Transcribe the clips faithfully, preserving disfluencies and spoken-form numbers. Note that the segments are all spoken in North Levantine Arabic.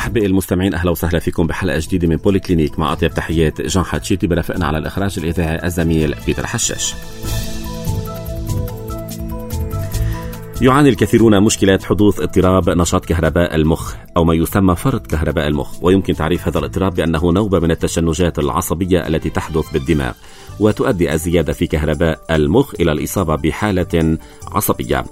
أحبائي المستمعين، أهلا وسهلا فيكم بحلقة جديدة من بولي كلينيك، مع أطيب تحيات جان حتشيتي، برافقنا على الإخراج الإذاعي الزميل بيتر حشاش. يعاني الكثيرون مشكلة حدوث اضطراب نشاط كهرباء المخ أو ما يسمى فرط كهرباء المخ، ويمكن تعريف هذا الاضطراب بأنه نوبة من التشنجات العصبية التي تحدث بالدماغ، وتؤدي الزيادة في كهرباء المخ إلى الإصابة بحالة عصبية.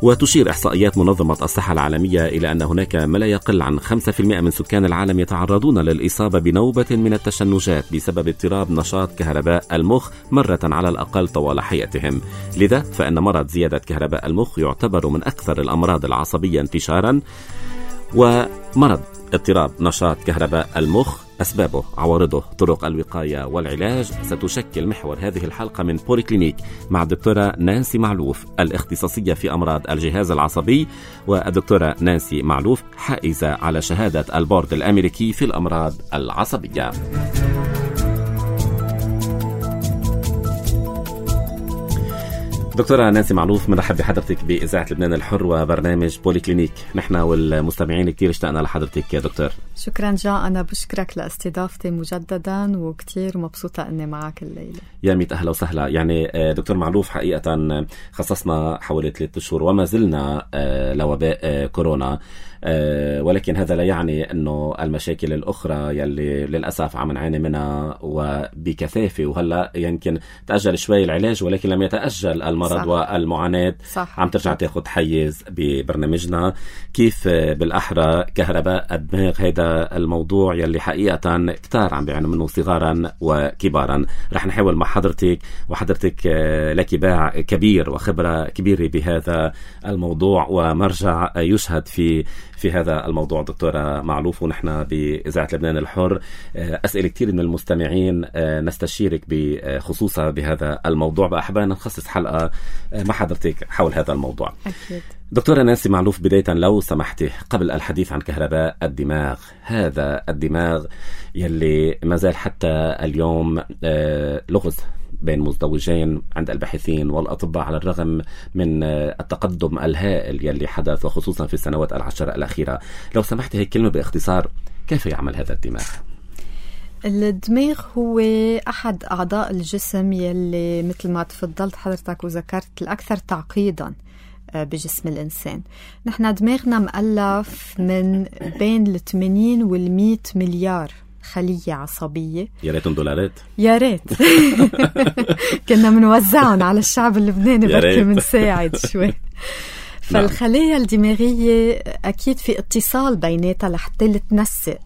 وتشير إحصائيات منظمة الصحة العالمية إلى أن هناك ما لا يقل عن خمسة بالمئة من سكان العالم يتعرضون للإصابة بنوبة من التشنجات بسبب اضطراب نشاط كهرباء المخ مرة على الأقل طوال حياتهم. لذا فإن مرض زيادة كهرباء المخ يعتبر من أكثر الأمراض العصبية انتشارا. ومرض اضطراب نشاط كهرباء المخ، أسبابه، عوارضه، طرق الوقاية والعلاج، ستشكل محور هذه الحلقة من بولي كلينيك مع الدكتورة نانسي معلوف، الاختصاصية في أمراض الجهاز العصبي، والدكتورة نانسي معلوف حائزة على شهادة البورد الأمريكي في الأمراض العصبية. دكتورة نانسي معلوف، مرحب بحضرتك بإذاعة لبنان الحر وبرنامج بولي كلينيك. نحن والمستمعين كتير اشتقنا لحضرتك يا دكتور. شكرا جان، أنا بشكرك لاستضافتي مجددا، وكتير مبسوطة أني معك الليلة. يا ميت أهلا وسهلا. يعني دكتور معلوف، حقيقة خصصنا حوالي ثلاثة أشهر وما زلنا لوباء كورونا، ولكن هذا لا يعني أنه المشاكل الأخرى يلي للأسف عم نعاني منها وبكثافة، وهلأ يمكن تأجل شوي العلاج ولكن لم يتأجل المرض صح. والمعاناة صح. عم ترجع تاخد حيز ببرنامجنا. كيف بالأحرى كهرباء الدماغ، هذا الموضوع يلي حقيقة كتار عم بيعانوا منه صغارا وكبارا. رح نحاول مع حضرتك، وحضرتك لك باع كبير وخبرة كبيرة بهذا الموضوع ومرجع يشهد في في هذا الموضوع دكتورة معلوف. ونحن بإذاعة لبنان الحر أسئلة كتير من المستمعين نستشيرك بخصوصا بهذا الموضوع، بأحبنا نخصص حلقة مع حضرتك حول هذا الموضوع. أكيد. دكتورة نانسي معلوف، بداية لو سمحتي قبل الحديث عن كهرباء الدماغ، هذا الدماغ يلي ما زال حتى اليوم لغز بين مزدوجين عند الباحثين والأطباء على الرغم من التقدم الهائل يلي حدث وخصوصا في السنوات العشر الأخيرة. لو سمحتي هيك كلمة باختصار، كيف يعمل هذا الدماغ؟ الدماغ هو أحد أعضاء الجسم يلي مثل ما تفضلت حضرتك وذكرت الأكثر تعقيدا بجسم الإنسان. نحن دماغنا مؤلف من بين الثمانين والمئة مليار خلية عصبية. يا ريتهم دولارات، يا ريت كنا منوزعهم على الشعب اللبناني، بركي منساعد شوي. فالخلايا الدماغية أكيد في اتصال بيناتها لحتى لتنسق،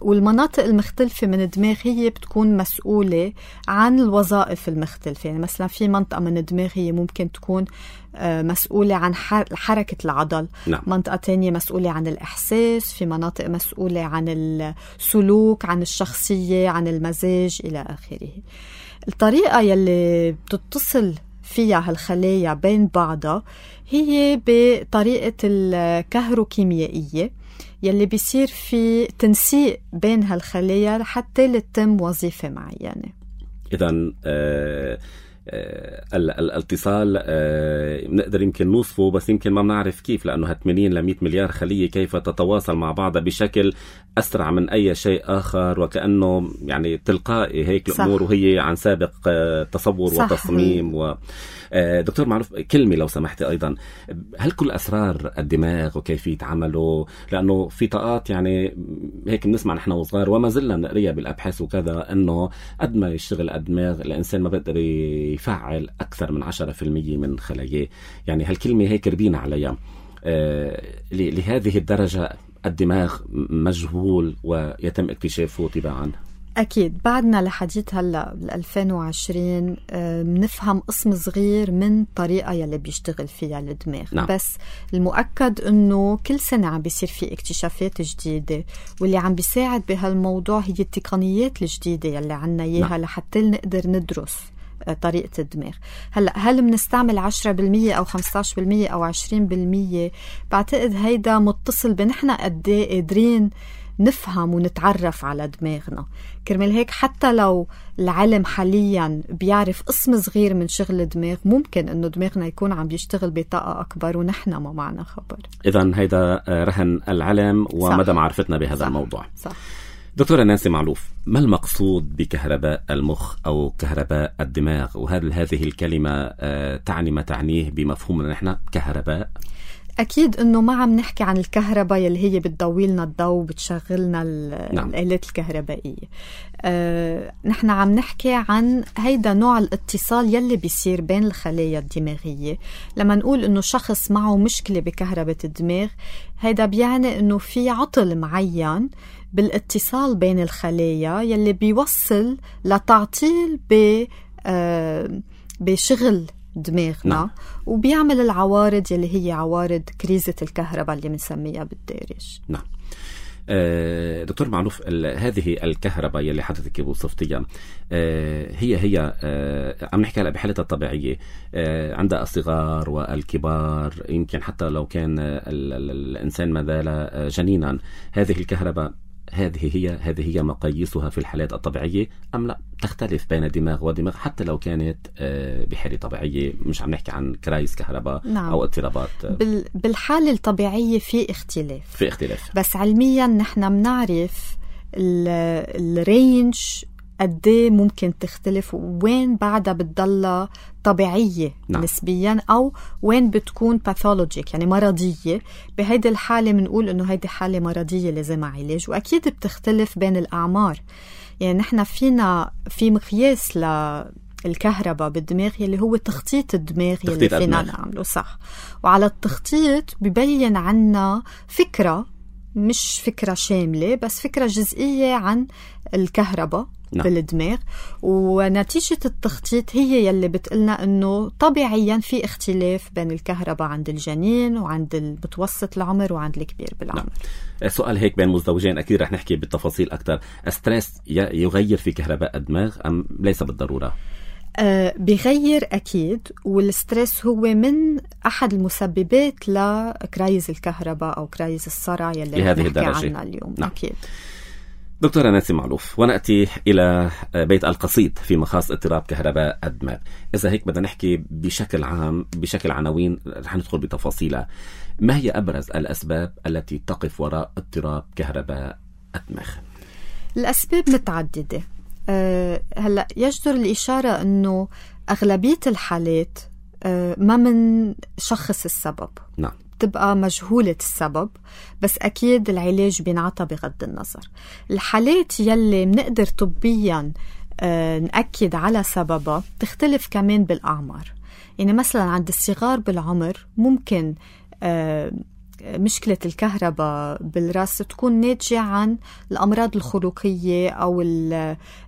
والمناطق المختلفة من الدماغ هي بتكون مسؤولة عن الوظائف المختلفة. يعني مثلا في منطقة من الدماغ هي ممكن تكون مسؤولة عن حركة العضل، نعم. منطقة تانية مسؤولة عن الإحساس، في مناطق مسؤولة عن السلوك، عن الشخصية، عن المزاج إلى آخره. الطريقة يلي بتتصل فيها هالخلايا بين بعضها هي بطريقة الكهروكيميائية يلي بيصير في تنسيق بين هالخلايا لحتى لتتم وظيفة معينة. إذن آه آه الاتصال آه نقدر يمكن نوصفه، بس يمكن ما بنعرف كيف، لأنه ثمانين لمئة مليار خلية كيف تتواصل مع بعضها بشكل أسرع من أي شيء آخر، وكأنه يعني تلقائي هيك الأمور، وهي عن سابق آه تصور صح. وتصميم. و دكتور معلوف، كلمة لو سمحتي أيضا، هل كل أسرار الدماغ وكيفية عمله؟ لأنه في طاقات يعني هيك بنسمع نحن وصغار وما زلنا نقريها بالأبحاث وكذا، أنه قد ما يشتغل الدماغ الإنسان ما بيقدر يفعل أكثر من عشرة بالمئة من خلاياه. يعني هالكلمة هيك ربينا عليها. آه لهذه الدرجة الدماغ مجهول ويتم اكتشافه تباعا. أكيد بعدنا لحديث هلأ ألفين وعشرين بنفهم قسم صغير من طريقة يلي بيشتغل فيها الدماغ. نعم. بس المؤكد أنه كل سنة عم بيصير في اكتشافات جديدة، واللي عم بيساعد بهالموضوع هي التقنيات الجديدة يلي عنا إياها. نعم. لحتى نقدر ندرس طريقة الدماغ. هلأ هل بنستعمل عشرة بالمية أو خمسة عشر بالمية أو عشرين بالمية؟ بعتقد هيدا متصل بنحنا قد ايه قادرين نفهم ونتعرف على دماغنا. كرمال هيك حتى لو العلم حاليا بيعرف قسم صغير من شغل الدماغ، ممكن انه دماغنا يكون عم بيشتغل بطاقة اكبر ونحن ما معنا خبر. اذا هيدا رهن العلم ومدى معرفتنا بهذا صح. الموضوع صح. دكتورة نانسي معلوف، ما المقصود بكهرباء المخ أو كهرباء الدماغ؟ وهل هذه الكلمة تعني ما تعنيه بمفهومنا نحن كهرباء؟ أكيد أنه ما عم نحكي عن الكهرباء يلي هي بتضوي لنا الضوء وبتشغلنا نعم. الآلات الكهربائية. أه، نحن عم نحكي عن هيدا نوع الاتصال يلي بيصير بين الخلايا الدماغية. لما نقول أنه شخص معه مشكلة بكهرباء الدماغ، هيدا بيعني أنه في عطل معين بالاتصال بين الخلايا يلي بيوصل لتعطيل ب أه بشغل دماغنا نعم. وبيعمل العوارض يلي هي عوارض كريزة الكهرباء اللي بنسميها بالدارج. نعم. آه دكتور معلوف، هذه الكهرباء يلي حضرتك وصفتيها آه هي هي آه عم نحكي هلا بحالتها الطبيعية آه عند الصغار والكبار، يمكن حتى لو كان ال ال الإنسان ما زال جنينا، هذه الكهرباء هذه هي هذه هي مقاييسها في الحالات الطبيعية أم لا تختلف بين دماغ ودماغ حتى لو كانت بحالة طبيعية؟ مش عم نحكي عن كرايس كهرباء نعم. أو اضطرابات. بالحالة الطبيعية في اختلاف في اختلاف بس علميا نحن بنعرف الرينج قديه ممكن تختلف، وين بعدها بتضل طبيعية نعم. نسبيا، أو وين بتكون باثولوجيك يعني مرضية. بهيدي الحالة بنقول إنه هيدي حالة مرضية لازمها علاج. وأكيد بتختلف بين الأعمار. يعني نحن فينا في مقياس للكهرباء بالدماغ يلي هو تخطيط الدماغ يلي فينا نعمله صح، وعلى التخطيط ببين عنا فكرة، مش فكرة شاملة بس فكرة جزئية عن الكهرباء نعم. بالدماغ. ونتيجة التخطيط هي يلي بتقلنا انه طبيعيا في اختلاف بين الكهرباء عند الجنين وعند المتوسط العمر وعند الكبير بالعمر. نعم. سؤال هيك بين مزدوجين، اكيد رح نحكي بالتفاصيل اكثر. الستريس يغير في كهرباء الدماغ ام ليس بالضرورة؟ أه بيغير أكيد، والستريس هو من أحد المسببات لكرايز الكهرباء أو كرايز الصرع يلي نحكي عنها اليوم نعم. أكيد. دكتورة نانسي معلوف، ونأتي إلى بيت القصيد في مخاص اضطراب كهرباء الدماغ. إذا هيك بدنا نحكي بشكل عام بشكل عناوين، رح ندخل بتفاصيلها. ما هي أبرز الأسباب التي تقف وراء اضطراب كهرباء الدماغ؟ الأسباب متعددة. أه هلأ يجدر الإشارة أنه أغلبية الحالات أه ما من شخص السبب نعم. تبقى مجهولة السبب، بس أكيد العلاج بينعطى بغض النظر. الحالات يلي منقدر طبيا أه نأكد على سببها تختلف كمان بالأعمار. يعني مثلا عند الصغار بالعمر ممكن أه مشكلة الكهرباء بالرأس تكون ناتجة عن الأمراض الخلقية أو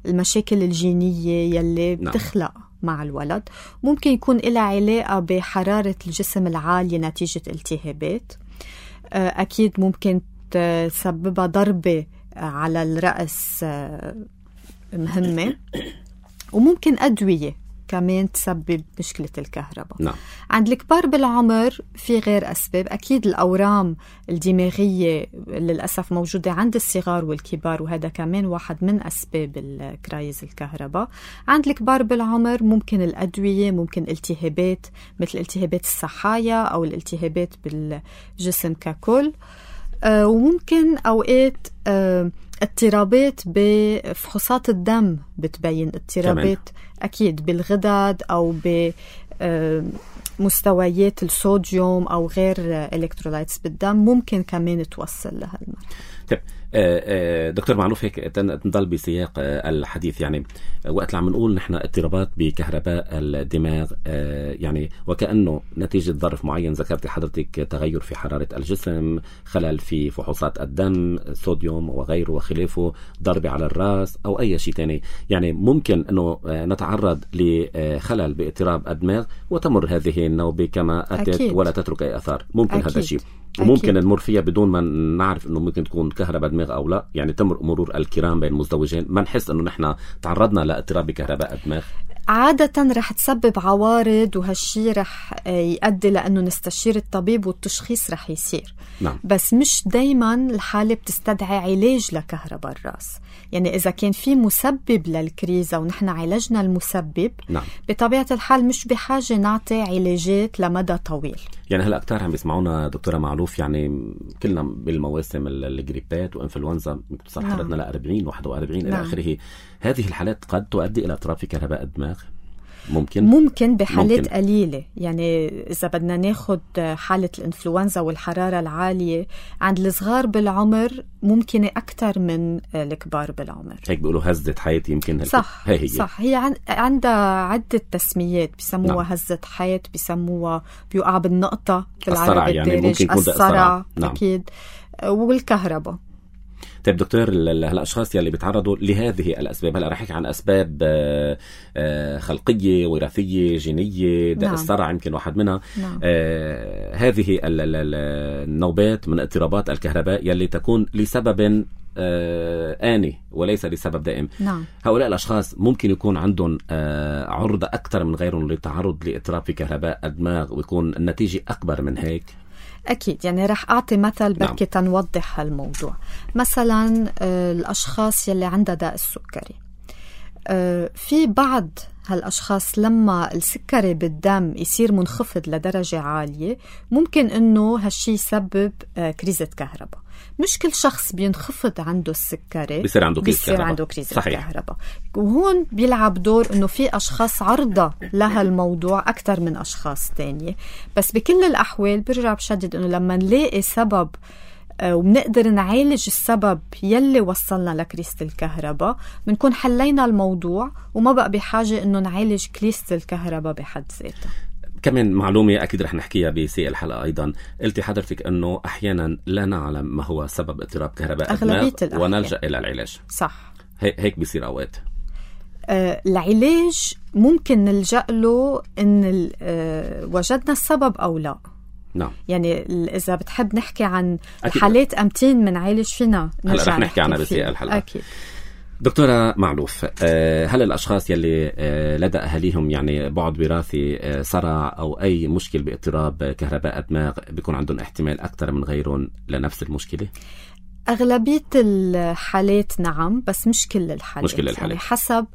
المشاكل الجينية يلي بتخلق مع الولد. ممكن يكون لها علاقة بحرارة الجسم العالية نتيجة التهابات. أكيد ممكن تسببها ضربة على الرأس مهمة، وممكن أدوية كمان تسبب مشكلة الكهرباء نعم. عند الكبار بالعمر في غير أسباب. أكيد الأورام الدماغية للأسف موجودة عند الصغار والكبار، وهذا كمان واحد من أسباب الكرايز الكهرباء. عند الكبار بالعمر ممكن الأدوية، ممكن التهابات مثل التهابات الصحايا أو الالتهابات بالجسم ككل، آه وممكن أوقات آه اضطرابات بفحوصات الدم بتبين اضطرابات أكيد بالغدد أو بمستويات الصوديوم أو غير إلكترولايتس بالدم، ممكن كمان توصل لهالمرض. طيب دكتور معلوف، هيك نضل بسياق الحديث. يعني وقت عم نقول نحن اضطرابات بكهرباء الدماغ، يعني وكأنه نتيجة ظرف معين، ذكرت حضرتك تغير في حرارة الجسم، خلل في فحوصات الدم، صوديوم وغيره وخلافه، ضربة على الرأس أو أي شيء تاني. يعني ممكن أنه نتعرض لخلل باضطراب الدماغ وتمر هذه النوبة كما أتت أكيد. ولا تترك أي أثار. ممكن أكيد. هذا الشيء وممكن نمر فيها بدون ما نعرف انه ممكن تكون كهرباء دماغ او لا. يعني تمر مرور الكرام بين مزدوجين، ما نحس انه نحن تعرضنا لاضطراب بكهرباء الدماغ. عادة رح تسبب عوارض، وهالشي رح يؤدي لأنه نستشير الطبيب والتشخيص رح يصير. نعم. بس مش دايما الحالة بتستدعي علاج لكهرباء الرأس. يعني إذا كان في مسبب للكريزة ونحن عالجنا المسبب، نعم. بطبيعة الحال مش بحاجة نعطي علاجات لمدى طويل. يعني هلا كتار عم بيسمعونا دكتورة معلوف، يعني كلنا بالمواسم الجريبات وإنفلونزا بتصل نعم. حرتنا ل أربعين واحد وأربعين نعم. إلى آخره. هذه الحالات قد تؤدي إلى اضطراب في كهرباء الدماغ. ممكن ممكن بحالات ممكن. قليلة. يعني إذا بدنا ناخد حالة الإنفلونزا والحرارة العالية عند الصغار بالعمر ممكن أكتر من الكبار بالعمر. هيك بيقولوا هزة حيط يمكن. صح هي هي. صح. هي عن... عندها عدة تسميات، بيسموها نعم. هزة حيط، بيسموها بيوقع بالنقطة الصرع، يعني ممكن يكون الصرع. نعم. أكيد. والكهرباء. طيب دكتور، الأشخاص يلي بيتعرضوا لهذه الأسباب، هلا رح نحكي عن أسباب خلقية وراثية جينية، داء نعم. الصرع يمكن واحد منها. نعم. آه هذه النوبات من اضطرابات الكهرباء يلي تكون لسبب آه آني وليس لسبب دائم. نعم. هؤلاء الأشخاص ممكن يكون عندهم آه عرضة أكثر من غيرهم للتعرض لاضطراب في كهرباء الدماغ، ويكون النتيجة أكبر من هيك. أكيد. يعني رح أعطي مثل بركي نعم. تنوضح هالموضوع. مثلا الأشخاص يلي عندها داء السكري، في بعض هالأشخاص لما السكري بالدم يصير منخفض لدرجة عالية ممكن أنه هالشي يسبب كريزة كهرباء. مش كل شخص بينخفض عنده السكري بيصير عنده كريزة بيصير كهرباء. عنده كريزة صحيح. كهرباء. وهون بيلعب دور أنه في أشخاص عرضة لها الموضوع أكتر من أشخاص تانية. بس بكل الأحوال برجع بشدد أنه لما نلاقي سبب وبنقدر نعالج السبب يلي وصلنا لكريزة الكهرباء بنكون حلينا الموضوع وما بقى بحاجة أنه نعالج كريزة الكهرباء بحد ذاتها. كمان معلومة أكيد رح نحكيها بسياق الحلقة أيضا، قلتي حضرتك أنه أحيانا لا نعلم ما هو سبب اضطراب كهرباء الدماغ ونلجأ إلى العلاج. صح. هيك بيصير أوقات. آه العلاج ممكن نلجأ له إن آه وجدنا السبب أو لا. نعم. يعني إذا بتحب نحكي عن حالات أمتين من عالج فينا هلا رح نحكي عنها بسياق الحلقة. أكيد. دكتورة معلوف، هل الأشخاص يلي لدى أهاليهم يعني بعد وراثي صرع أو أي مشكل باضطراب كهرباء الدماغ بيكون عندهم احتمال أكثر من غيرهم لنفس المشكلة؟ أغلبية الحالات نعم، بس مش كل الحالات. مش كل الحالات. يعني حسب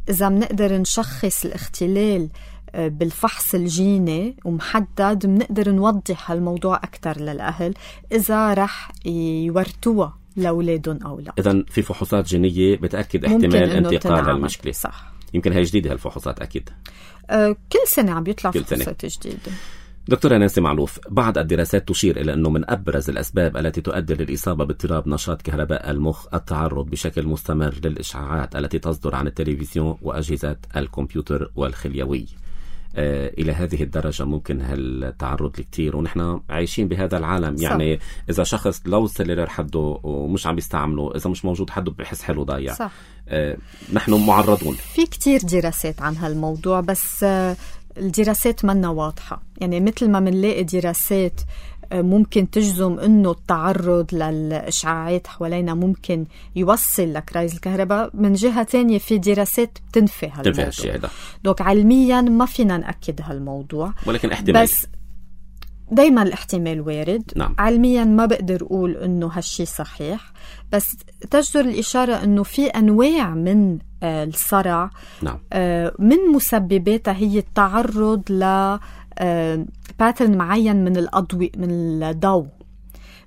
إذا بنقدر نشخص الاختلال بالفحص الجيني ومحدد بنقدر نوضح هالموضوع أكثر للأهل إذا رح يورتوها لأولادهم أو لا. إذن في فحوصات جينية بتأكد احتمال انتقال هالمشكلة. صح. يمكن هي جديدة هالفحوصات أكيد. أه كل سنة عم بيطلع فحوصات جديدة. دكتورة نانسي معلوف، بعض الدراسات تشير إلى أنه من أبرز الأسباب التي تؤدي للإصابة باضطراب نشاط كهرباء المخ التعرض بشكل مستمر للإشعاعات التي تصدر عن التلفزيون وأجهزة الكمبيوتر والخليوي. آه إلى هذه الدرجة ممكن هالتعرض لكتير ونحن عايشين بهذا العالم. صح. يعني إذا شخص لو السليلر حده ومش عم بيستعمله، إذا مش موجود حده بحس حلو ضايع. صح. آه نحن معرضون. في كتير دراسات عن هالموضوع، بس آه الدراسات منا واضحة. يعني مثل ما منلاقي دراسات ممكن تجزم انه التعرض للاشعاعات حوالينا ممكن يوصل لكرايز الكهرباء، من جهة تانية في دراسات بتنفي هالموضوع. الشيء ده. دوك علميا ما فينا نأكد هالموضوع، ولكن احتمال. بس دايما الاحتمال وارد. نعم. علميا ما بقدر اقول انه هالشي صحيح، بس تجدر الاشارة انه في انواع من الصرع. نعم. من مسبباتها هي التعرض ل باترن معين من الأضوء من الضوء،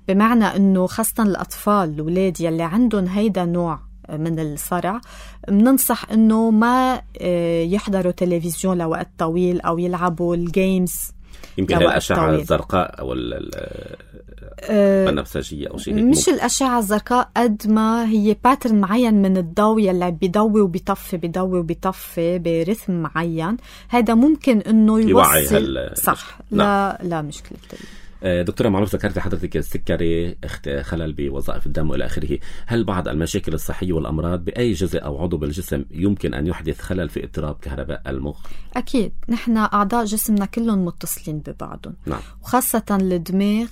بمعنى أنه خاصة الأطفال الأولاد يلي عندهم هيدا نوع من الصرع بننصح أنه ما يحضروا تلفزيون لوقت طويل أو يلعبوا الجيمز. يمكن الأشعة الزرقاء أو البنفسجية أو شيء هيك. مش الأشعة الزرقاء قد ما هي باترن معين من الضوء يلي بيضوي وبيطفي بيضوي وبيطفي برثم معين. هذا ممكن إنه يوصل. صح. لا لا مشكلة. دكتورة معلوف، ذكرت حضرتك السكري، خلل بوظائف الدم وإلى آخره. هل بعض المشاكل الصحية والأمراض بأي جزء أو عضو بالجسم يمكن أن يحدث خلل في اضطراب كهرباء المخ؟ أكيد. نحن أعضاء جسمنا كلهم متصلين ببعضهم. نعم. وخاصة الدماغ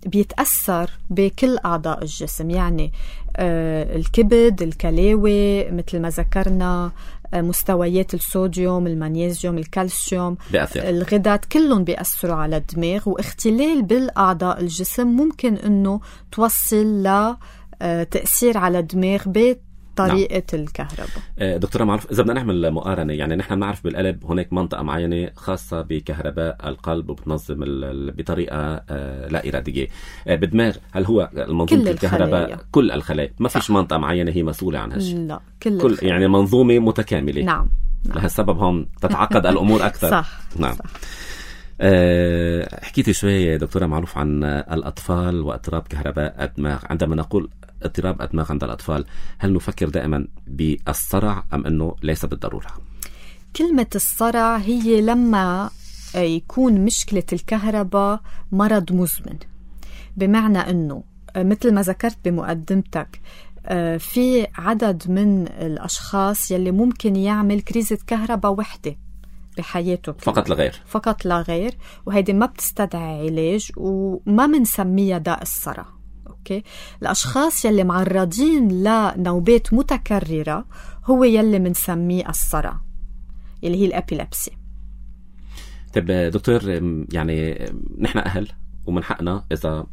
بيتأثر بكل أعضاء الجسم. يعني الكبد، الكلاوي مثل ما ذكرنا، مستويات الصوديوم، المغنيسيوم، الكالسيوم، بيأثر. الغدات كلهم بيأثروا على الدماغ، واختلال بالأعضاء الجسم ممكن أنه توصل لتأثير على الدماغ بطريقة نعم. الكهرباء. دكتورة معروف، إذا بدنا نعمل مقارنة، يعني نحن نعرف بالقلب هناك منطقة معينة خاصة بكهرباء القلب وبتنظم بطريقة لا إرادية. بدماغ هل هو المنظومة الكهرباء الخلايا. كل الخلايا، ما فيش منطقة معينة هي مسؤولة عن هالشيء؟ لا، كل, كل يعني منظومة متكاملة. نعم, نعم. لهالسبب هم تتعقد الأمور أكثر. صح. نعم. صح. أه حكيتي شوية دكتورة معروف عن الأطفال واضطراب كهرباء الدماغ. عندما نقول اضطراب الدماغ عند الأطفال، هل نفكر دائما بالصرع أم أنه ليس بالضرورة؟ كلمة الصرع هي لما يكون مشكلة الكهرباء مرض مزمن، بمعنى أنه مثل ما ذكرت بمقدمتك في عدد من الأشخاص يلي ممكن يعمل كريزة كهرباء وحدة بحياته فقط لا غير فقط لا غير وهيدي ما بتستدعي علاج وما منسميها داء الصرع. أوكي؟ الأشخاص يلي معرضين لنوبات متكررة هو يلي منسميه الصرع يلي هي الأبيلابسي. طيب دكتور، يعني نحن أهل ومن حقنا إذا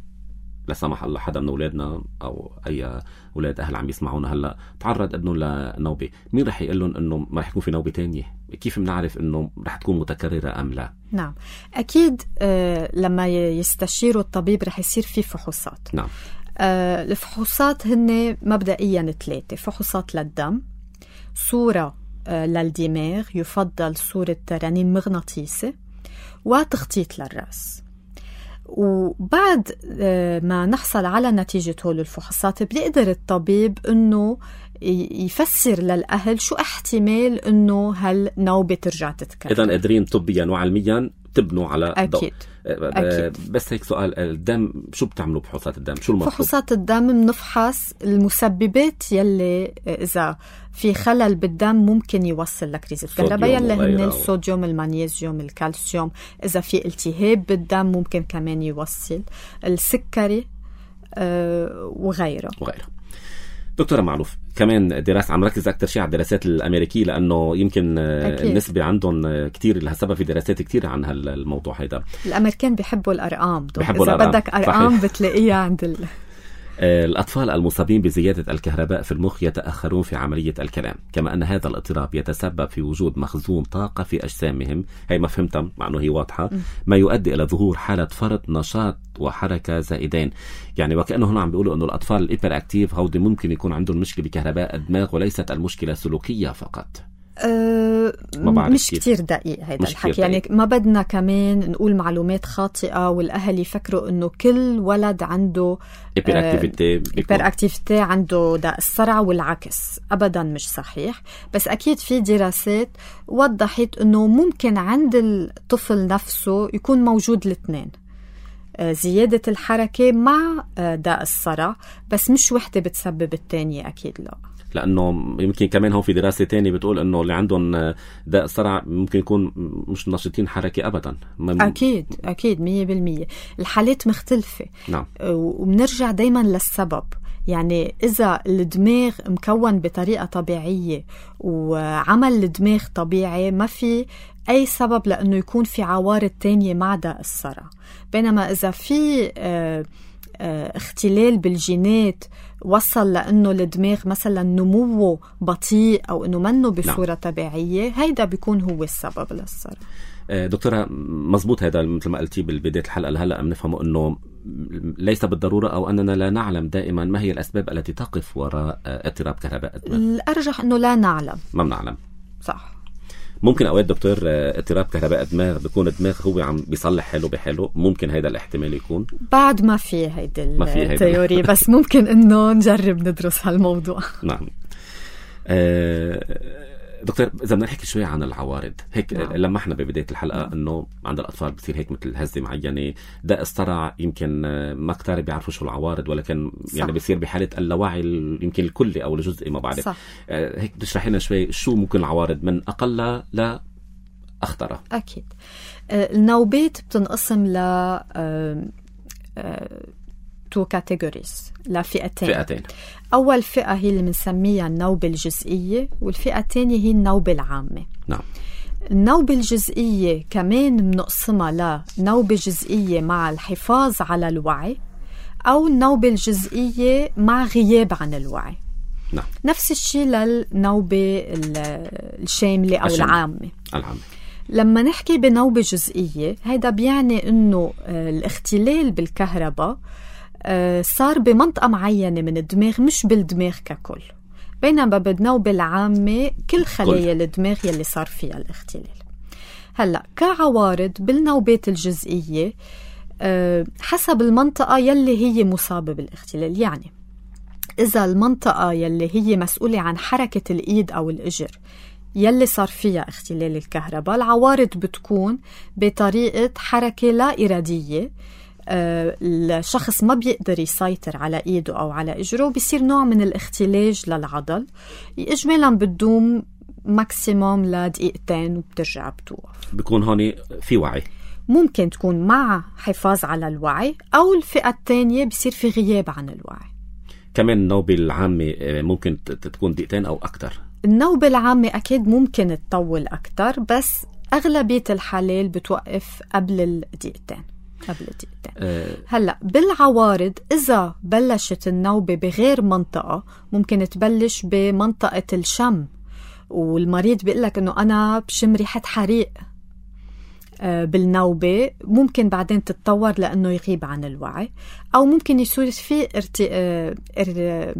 لا سمح الله حدا من أولادنا أو أي أولاد أهل عم يسمعونا هلأ تعرض ابنه لنوبة، مين رح يقول لهم إنه ما رح يكون في نوبة تانية؟ كيف بنعرف إنه رح تكون متكررة أم لا؟ نعم أكيد. آه لما يستشيروا الطبيب رح يصير في فحوصات. نعم. آه الفحوصات هن مبدئيا ثلاثة: فحوصات للدم، صورة آه للدماغ، يفضل صورة رنين مغناطيسي، وتخطيط للرأس. وبعد ما نحصل على نتيجة هول الفحوصات بيقدر الطبيب أنه يفسر للأهل شو احتمال أنه هالنوبة ترجع تتكرر. إذن قادرين طبيا وعلميا تبنوا على أكيد. أكيد. بس هيك سؤال، الدم شو بتعملوا بفحوصات الدم؟ شو المطلوب؟ فحوصات الدم بنفحص المسببات يلي إذا في خلل بالدم ممكن يوصل لكريزة كهرباء، يلي هن الصوديوم، المغنيسيوم، الكالسيوم. إذا في التهاب بالدم ممكن كمان يوصل السكري أه وغيره وغيره. دكتورة معروف، كمان دراسة عم ركز أكتر شيء على الدراسات الأمريكية لأنه يمكن أكيد. النسبة عندهم كتير، لهالسبب في دراسات كتير عن هالموضوع هيدا. الأمريكان بيحبوا الأرقام، بيحبوا إذا الأرقام. بدك أرقام صحيح. بتلاقيها عند ال... الأطفال المصابين بزيادة الكهرباء في المخ يتأخرون في عملية الكلام، كما أن هذا الاضطراب يتسبب في وجود مخزون طاقة في أجسامهم، هي ما فهمتها مع أنه هي واضحة، ما يؤدي إلى ظهور حالة فرط نشاط وحركة زائدين. يعني وكأنه هنا عم بيقولوا أنه الأطفال الإيبر أكتيف هودي ممكن يكون عندهم مشكلة بكهرباء الدماغ وليست المشكلة سلوكية فقط. أه مش كتير دقيق هيدا الحكي، يعني ما بدنا كمان نقول معلومات خاطئة والأهل يفكروا إنه كل ولد عنده إيبر أكتيفيتي عنده داء الصرع والعكس. أبدا مش صحيح، بس أكيد في دراسات وضحت إنه ممكن عند الطفل نفسه يكون موجود الاثنين، زيادة الحركة مع داء الصرع، بس مش وحدة بتسبب الثانية. أكيد لا، لأنه يمكن كمان هون في دراسة تانية بتقول أنه اللي عندهم داء الصرع ممكن يكون مش نشطين حركة أبدا. أكيد أكيد مية بالمية. الحالات مختلفة. نعم. وبنرجع دايما للسبب، يعني إذا الدماغ مكون بطريقة طبيعية وعمل الدماغ طبيعي ما في أي سبب لأنه يكون في عوارض تانية مع داء الصرع. بينما إذا في اه اه اختلال بالجينات وصل لأنه الدماغ مثلا نموه بطيء أو أنه منه بصورة نعم. طبيعية، هيدا بيكون هو السبب للصرع. دكتورة مزبوط، هذا مثل ما قلتي بالبداية الحلقة لهلأ بنفهمه أنه ليس بالضرورة أو أننا لا نعلم دائما ما هي الأسباب التي تقف وراء اضطراب كهرباء الدماغ. الأرجح أنه لا نعلم. ما بنعلم. صح. ممكن أوقات دكتور اضطراب كهرباء الدماغ بيكون الدماغ هو عم بيصلح حاله بحاله، ممكن هيدا الاحتمال يكون بعد ما في هيدا التيوري بس ممكن إنه نجرب ندرس هالموضوع. نعم. أه دكتور، إذا بدنا نحكي شوي عن العوارض هيك نعم. لما احنا ببداية الحلقة نعم. إنه عند الأطفال بتصير هيك مثل هزة معينة، داء الصرع يمكن ما كتار بيعرفوا شو العوارض، ولكن صح. يعني بيصير بحالة اللاوعي يمكن الكلي أو الجزئي ما بعرف. آه هيك بتشرح لنا شوي شو ممكن العوارض من أقل لا أخطر. أكيد. آه النوبات بتنقسم ل آه آه تو كاتيجوريز لفئتين. فئتين. أول فئة هي اللي بنسميها النوبة الجزئية، والفئة الثانية هي النوبة العامة. نعم. النوبة الجزئية كمان بنقسمها لنوبة جزئية مع الحفاظ على الوعي، أو النوبة الجزئية مع غياب عن الوعي. نعم. نفس الشيء للنوبة الشاملة أو الشاملة. العامة. العامة. لما نحكي بنوبة جزئية، هيدا بيعني إنه الاختلال بالكهرباء صار بمنطقة معينة من الدماغ، مش بالدماغ ككل. بينما بالنوبة العامة كل خلايا الدماغ يلي صار فيها الاختلال. هلأ كعوارض بالنوبات الجزئية حسب المنطقة يلي هي مصابة بالاختلال. يعني إذا المنطقة يلي هي مسؤولة عن حركة الإيد أو الإجر يلي صار فيها اختلال الكهرباء، العوارض بتكون بطريقة حركة لا إرادية. آه الشخص ما بيقدر يسيطر على إيده أو على إجره، بيصير نوع من الاختلاج للعضل، إجمالا بتدوم ماكسيموم لدقيقتين وبترجع بتوقف. بيكون هون في وعي. ممكن تكون مع حفاظ على الوعي، أو الفئة الثانية بيصير في غياب عن الوعي. كمان النوبة العامة ممكن تكون دقيقتين أو أكتر. النوبة العامة أكيد ممكن تطول أكتر، بس أغلبية الحالات بتوقف قبل الدقيقتين. قبل الدقيقتين. أه هلأ بالعوارض، إذا بلشت النوبة بغير منطقة، ممكن تبلش بمنطقة الشم، والمريض بيقلك إنه أنا بشم ريحة حريق أه بالنوبة. ممكن بعدين تتطور لأنه يغيب عن الوعي، أو ممكن يصير فيه ارت... اه... اه...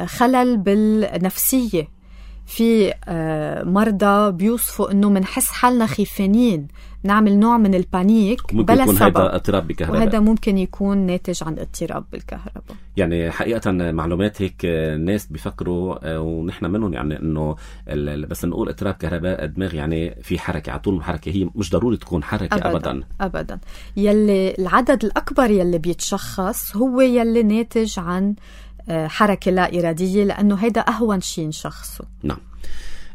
خلل بالنفسية. في مرضى بيوصفوا انه منحس حالنا خيفانين، نعمل نوع من البانيك بلا يكون سبب. هذا اضطراب بالكهرباء، وهذا ممكن يكون ناتج عن اضطراب بالكهرباء. يعني حقيقة معلومات هيك الناس بيفكروا ونحن منهم، يعني انه بس نقول اضطراب كهرباء الدماغ يعني في حركة على طول الحركة، هي مش ضروري تكون حركة أبدا أبدا, أبداً. يلي العدد الأكبر يلي بيتشخص هو يلي ناتج عن حركة لا إرادية، لأنه هيدا أهون شيء نشخصه. نعم.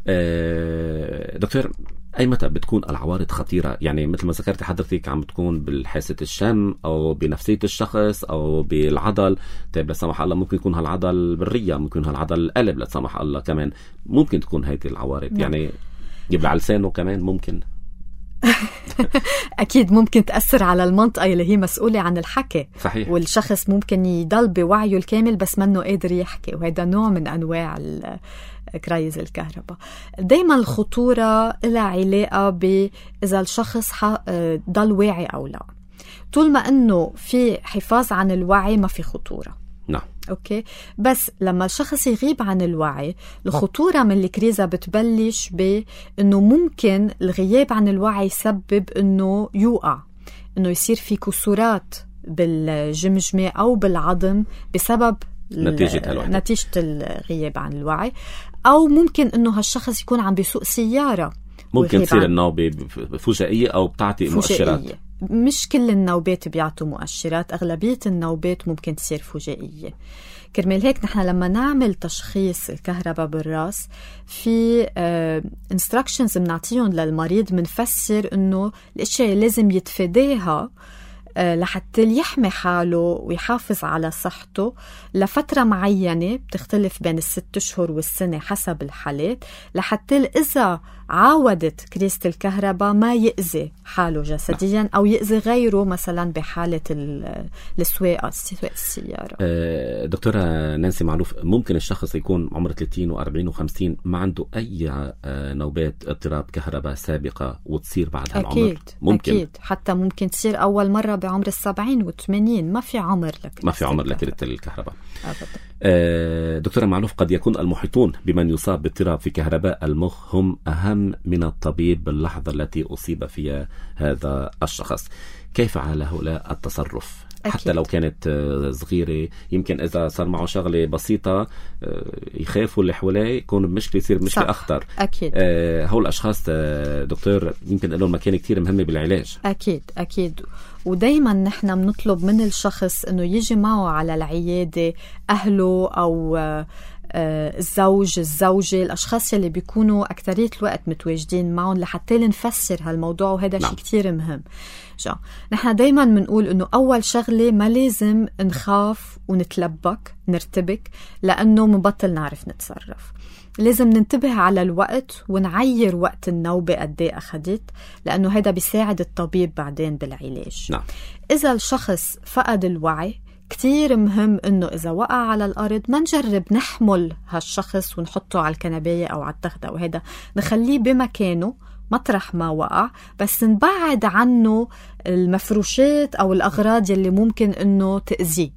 أه دكتور، أي متى بتكون العوارض خطيرة؟ يعني مثل ما ذكرت حضرتك عم بتكون بالحاسة الشم أو بنفسية الشخص أو بالعضل. طيب لا سمح الله ممكن يكون هالعضل بالرية، ممكن هالعضل القلب لا سمح الله كمان ممكن تكون هذه العوارض. نعم. يعني يبلع لسانه كمان ممكن. أكيد ممكن تأثر على المنطقة اللي هي مسؤولة عن الحكي. صحيح. والشخص ممكن يضل بوعيه الكامل بس منه قادر يحكي، وهذا نوع من أنواع كرايز الكهرباء. دايما الخطورة لها علاقة بإذا الشخص ضل واعي أو لا. طول ما أنه في حفاظ عن الوعي ما في خطورة. نعم. أوكي. بس لما الشخص يغيب عن الوعي، الخطورة من الكريزة بتبلش بأنه ممكن الغياب عن الوعي يسبب أنه يوقع، أنه يصير في كسورات بالجمجمة أو بالعظم بسبب نتيجة, نتيجة الغياب عن الوعي. أو ممكن أنه هالشخص يكون عم بيسوق سيارة، ممكن تصير النوبة فجائية أو بتعطي مؤشرات. مش كل النوبات بيعطوا مؤشرات، أغلبية النوبات ممكن تصير فجائية. كرمال هيك نحن لما نعمل تشخيص الكهرباء بالراس، في instructions بنعطيهم للمريض، منفسر إنه الأشياء لازم يتفاداها لحتى يحمي حاله ويحافظ على صحته لفترة معينة، بتختلف بين الست أشهر والسنة حسب الحالات، لحتى إذا عاودت كريزة الكهرباء ما يأذي حاله جسديا أو يأذي غيره، مثلا بحالة السواقة سواقة السيارة. دكتورة نانسي معلوف، ممكن الشخص يكون عمره ثلاثين وأربعين وخمسين ما عنده أي نوبات اضطراب كهرباء سابقة وتصير بعد هالعمر؟ أكيد. ممكن. أكيد. حتى ممكن تصير أول مرة بعمر السبعين والثمانين. ما في عمر لك ما في عمر لكريزة الكهرباء أبدا. دكتورة معلوف، قد يكون المحيطون بمن يصاب باضطراب في كهرباء المخ هم أهم من الطبيب باللحظة التي أصيب فيها هذا الشخص. كيف على هؤلاء التصرف؟ أكيد. حتى لو كانت صغيرة، يمكن إذا صار معه شغلة بسيطة يخافوا اللي حواليه، يكون المشكلة يصير مشكلة أخطر. أكيد. آه هؤلاء الأشخاص دكتور يمكن لهم مكان كتير مهمة بالعلاج. أكيد أكيد. ودايما نحن بنطلب من الشخص إنه يجي معه على العيادة أهله أو الزوج الزوجة الأشخاص اللي بيكونوا أكترية الوقت متواجدين معهم لحتى نفسر هالموضوع، وهذا شيء كتير مهم. جا نحن دايما منقول إنه أول شغلة ما لازم نخاف ونتلبك نرتبك لأنه مبطل نعرف نتصرف. لازم ننتبه على الوقت ونعير وقت النوبة قد ايه أخدت، لأنه هذا بيساعد الطبيب بعدين بالعلاج. نعم. إذا الشخص فقد الوعي كتير مهم إنه إذا وقع على الأرض ما نجرب نحمل هالشخص ونحطه على الكنباية أو على التخدة، وهذا نخليه بمكانه مطرح ما وقع، بس نبعد عنه المفروشات أو الأغراض يلي ممكن إنه تأذيه.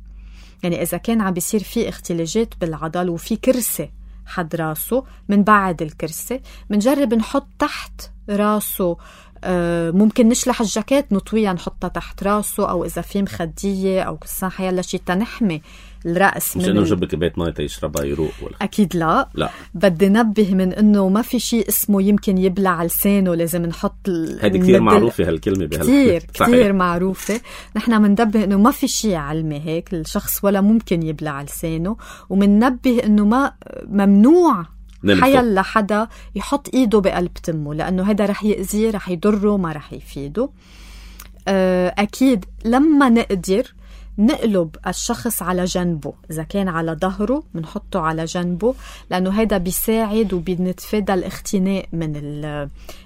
يعني إذا كان عم بيصير فيه اختلاجات بالعضل وفي كرسي حد راسه، من بعد الكرسي منجرب نحط تحت راسه، آه ممكن نشلح الجاكيت نطويها نحطها تحت راسه، أو إذا في مخدية أو كسان حيالله شي تنحمي الرأس مش إنه نجيب كباية ماء تيشربها يروق ولا؟ أكيد لا. لا، بدي نبه من إنه ما في شيء اسمه يمكن يبلع لسانه، لازم نحط هذه كتير معروفة هالكلمة كتير كتير معروفة. نحن مننبه إنه ما في شيء علمي هيك الشخص ولا ممكن يبلع لسانه، ومننبه إنه ما ممنوع حيال لحدا يحط إيده بقلب تمه، لأنه هذا رح يأذيه، رح يضره، ما رح يفيده. أكيد لما نقدر نقلب الشخص على جنبه، إذا كان على ظهره منحطه على جنبه، لأنه هذا بيساعد وبنتفادى الاختناق من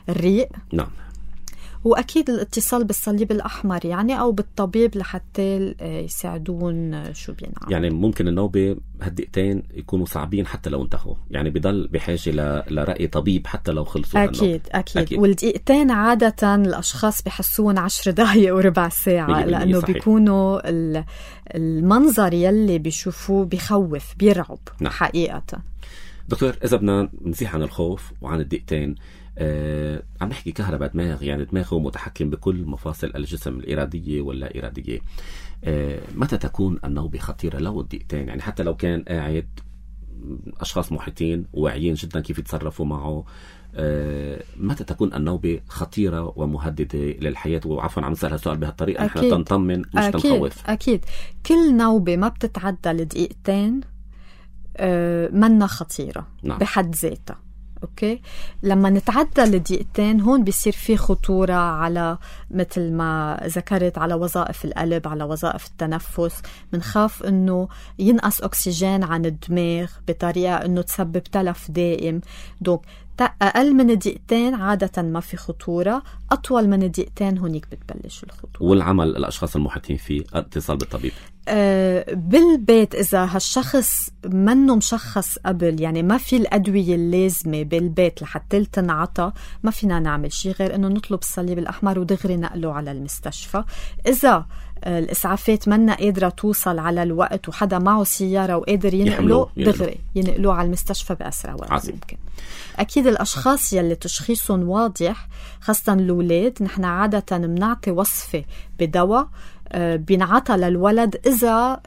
الريق. نعم. وأكيد الاتصال بالصليب الأحمر يعني أو بالطبيب لحتى يساعدون شو بينعمل. يعني ممكن النوبة هالدقيقتين يكونوا صعبين حتى لو انتهوا، يعني بضل بحاجة ل... لرأي طبيب حتى لو خلصوا. أكيد أكيد, أكيد. والدقيقتين عادة الأشخاص بحسون عشر دقايق وربع ساعة، لأنه صحيح. بيكونوا المنظر يلي بيشوفوه بيخوف بيرعب. نعم. حقيقة. دكتور، إذا بدنا نزيح عن الخوف وعن الدقيقتين، آه، عم نحكي كهرباء دماغ، يعني دماغه متحكم بكل مفاصل الجسم الإرادية ولا إرادية. آه، متى تكون النوبة خطيرة؟ لو الدقيقتين، يعني حتى لو كان قاعد أشخاص محيطين وواعيين جدا كيف يتصرفوا معه، آه، متى تكون النوبة خطيرة ومهددة للحياة؟ وعفوا عم نسأل هالسؤال بهالطريقة نحن تنطمن مش أكيد. تنخوف. أكيد كل نوبة ما بتتعدى لدقيقتين آه، منا خطيرة. نعم. بحد ذاتها. أوكي، لما نتعدى لدقيقتين هون بيصير في خطورة على مثل ما ذكرت على وظائف القلب، على وظائف التنفس. منخاف إنه ينقص أكسجين عن الدماغ بطريقة إنه تسبب تلف دائم. دوك أقل من دقيقتين عادة ما في خطورة، أطول من دقيقتين هونيك بتبلش الخطورة. والعمل الأشخاص المحيطين فيه اتصال بالطبيب أه بالبيت. إذا هالشخص منه مشخص قبل، يعني ما في الأدوية اللازمة بالبيت لحتى تنعطى، ما فينا نعمل شيء غير إنه نطلب الصليب الأحمر ودغري نقله على المستشفى. إذا الإسعافات منا قادرة توصل على الوقت وحدا معه سيارة وقادر ينقله، دغري ينقلوه على المستشفى بأسرع وقت عزيز. ممكن. أكيد الأشخاص يلي تشخيصهم واضح، خاصة الأولاد، نحن عادة بنعطي وصفة بدواء بينعطى للولد إذا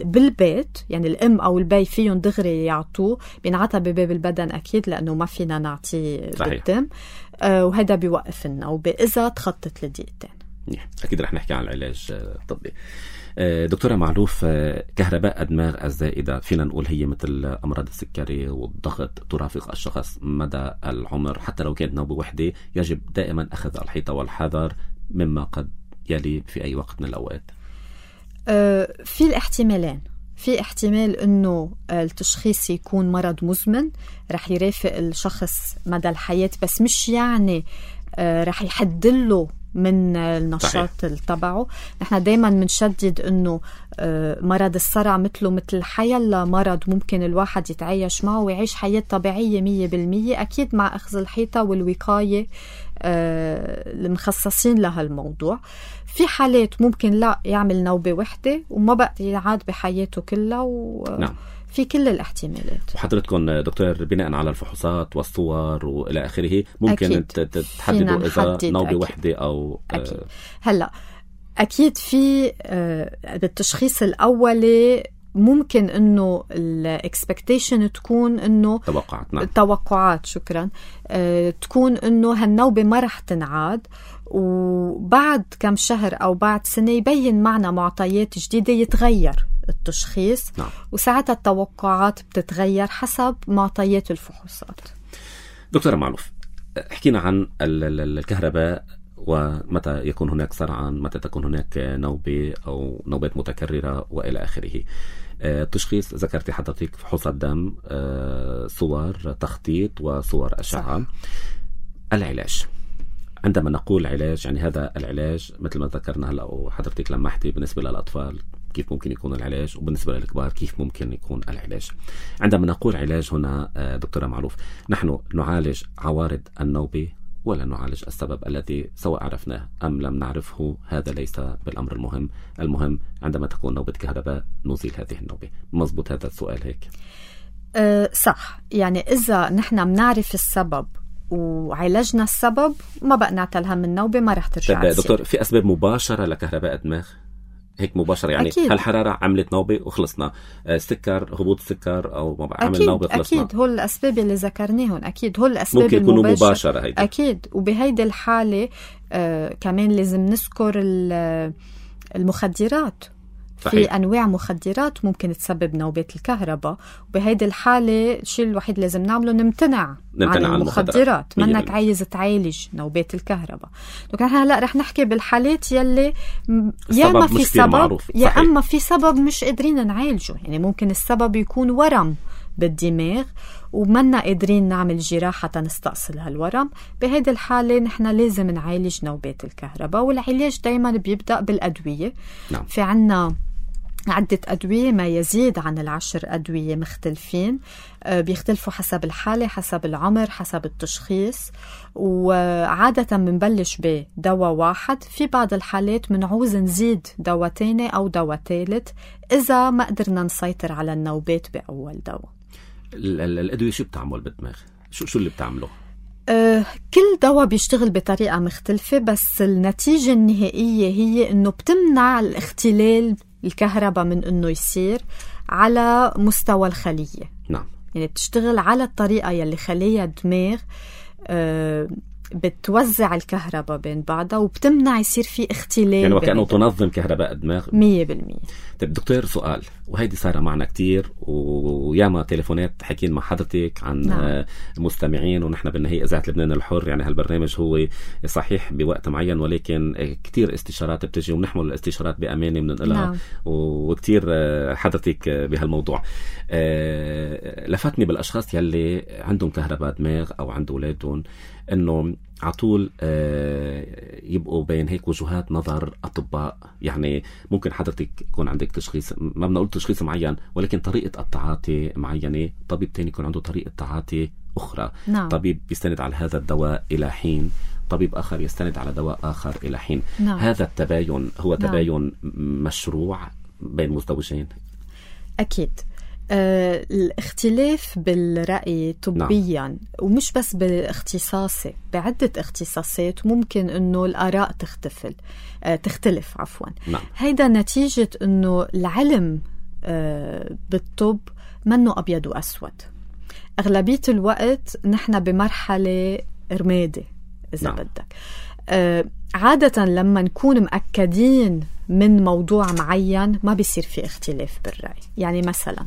بالبيت، يعني الأم أو البي فيهم دغري يعطوه، بينعطى بباب البدن أكيد لأنه ما فينا نعطيه بالدم، وهذا بيوقف النوبة إذا تخطت لدقيقتين. أكيد رح نحكي عن العلاج الطبي. دكتورة معروف، كهرباء الدماغ الزائدة فينا نقول هي مثل أمراض السكري والضغط ترافق الشخص مدى العمر، حتى لو كانت نوبة وحدة يجب دائما أخذ الحيطة والحذر مما قد يلي في أي وقت من الأوقات. أه في الاحتمالين، في احتمال أنه التشخيص يكون مرض مزمن رح يرافق الشخص مدى الحياة، بس مش يعني أه رح يحدله من النشاط تبعه. نحن دايما منشدد انه مرض الصرع مثله مثل حيلا مرض ممكن الواحد يتعايش معه ويعيش حياة طبيعية مية بالمية، اكيد مع اخذ الحيطة والوقاية المخصصين لها الموضوع. في حالات ممكن لا يعمل نوبة وحدة وما بقى يعاد بحياته كلها و... نعم. في كل الاحتمالات. وحضرتكم دكتور بناء على الفحوصات والصور وإلى آخره ممكن تحددوا إذا نوبة وحدة أو أكيد. آه هلأ أكيد في بالتشخيص الأولي ممكن إنه الإكسبكتيشن تكون إنه توقعات. نعم. توقعات شكرا آه تكون إنه هالنوبة ما رح تنعاد، وبعد كم شهر أو بعد سنة يبين معنا معطيات جديدة يتغير التشخيص. نعم. وساعتها التوقعات بتتغير حسب معطيات الفحوصات. دكتورة معلوف، حكينا عن الكهرباء ومتى يكون هناك صرعا، متى تكون هناك نوبة أو نوبات متكررة وإلى آخره. التشخيص ذكرتي حضرتك فحوصات دم، صور تخطيط وصور أشعة. العلاج، عندما نقول علاج يعني هذا العلاج مثل ما ذكرنا هلا وحضرتك لمحتي بالنسبة للأطفال كيف ممكن يكون العلاج، وبالنسبة للكبار كيف ممكن يكون العلاج. عندما نقول علاج هنا دكتورة معلوف، نحن نعالج عوارض النوبة ولا نعالج السبب الذي سواء عرفناه أم لم نعرفه؟ هذا ليس بالأمر المهم. المهم عندما تكون نوبة كهرباء نزيل هذه النوبة. مزبوط هذا السؤال هيك؟ أه صح. يعني إذا نحن منعرف السبب وعالجنا السبب ما بقى نعتلها من النوبة ما رح ترجع تصير. دكتور، في أسباب مباشرة لكهرباء الدماغ هيك مباشرة؟ يعني أكيد. هالحرارة عملت نوبة وخلصنا، سكر، هبوط سكر أو عمل أكيد. نوبة خلصنا. أكيد هول الأسباب اللي ذكرناهم، أكيد هول الأسباب ممكن يكونوا مباشرة هيدا. أكيد. وبهيدي الحالة آه كمان لازم نذكر المخدرات. صحيح. في أنواع مخدرات ممكن تسبب نوبات الكهرباء، وبهيدي الحالة الشيء الوحيد لازم نعمله نمتنع, نمتنع عن المخدرات. منك عايز تعالج نوبات الكهرباء. لكن هلا رح نحكي بالحالات يلي يا ما في سبب يا أما في سبب مش قادرين نعالجه. يعني ممكن السبب يكون ورم بالدماغ ومنا قادرين نعمل جراحة نستأصل هالورم. بهيدي الحالة نحن لازم نعالج نوبات الكهرباء، والعلاج دايما بيبدأ بالأدوية. نعم. في عنا عدة أدوية، ما يزيد عن العشر أدوية مختلفين، بيختلفوا حسب الحالة، حسب العمر، حسب التشخيص. وعادة منبلش بدواء واحد. في بعض الحالات منعوز نزيد دواء تاني أو دواء ثالث إذا ما قدرنا نسيطر على النوبات بأول دواء. الأدوية شو بتعمل بالدماغ؟ شو شو اللي بتعمله؟ أه كل دواء بيشتغل بطريقة مختلفة، بس النتيجة النهائية هي إنه بتمنع الاختلال الكهرباء من إنه يصير على مستوى الخلية. نعم. يعني بتشتغل على الطريقة يلي خلية الدماغ أه بتوزع الكهرباء بين بعضها وبتمنع يصير في اختلال. يعني وكأنه تنظم كهرباء الدماغ مية بالمية. طيب دكتور، سؤال، وهيدي صار معنا كتير وياما تليفونات حكين مع حضرتك عن نعم. مستمعين، ونحن بالنهاية إذاعة لبنان الحر يعني هالبرنامج هو صحيح بوقت معين، ولكن كتير استشارات بتجي ونحمل الاستشارات بأمانة بننقلها. نعم. وكتير حضرتك بهالموضوع. لفتني بالأشخاص يلي عندهم كهرباء دماغ أو عند أولادهم إنه عطول يبقوا بين هيك وجهات نظر أطباء. يعني ممكن حضرتك يكون عندك تشخيص، ما بنقول تشخيص معين، ولكن طريقة التعاطي معينة، طبيب تاني يكون عنده طريقة تعاطي أخرى. نعم. طبيب يستند على هذا الدواء إلى حين، طبيب آخر يستند على دواء آخر إلى حين. نعم. هذا التباين هو تباين نعم. مشروع بين مزدوجين؟ أكيد. آه، الاختلاف بالرأي طبيا نعم. ومش بس بالاختصاصي، بعدة اختصاصات ممكن انه الآراء تختفل آه، تختلف عفوا. نعم. هيدا نتيجة انه العلم آه، بالطب منه أبيض وأسود. أغلبية الوقت نحن بمرحلة رمادة إذا نعم. بدك. آه، عادة لما نكون مأكدين من موضوع معين ما بيصير في اختلاف بالرأي. يعني مثلا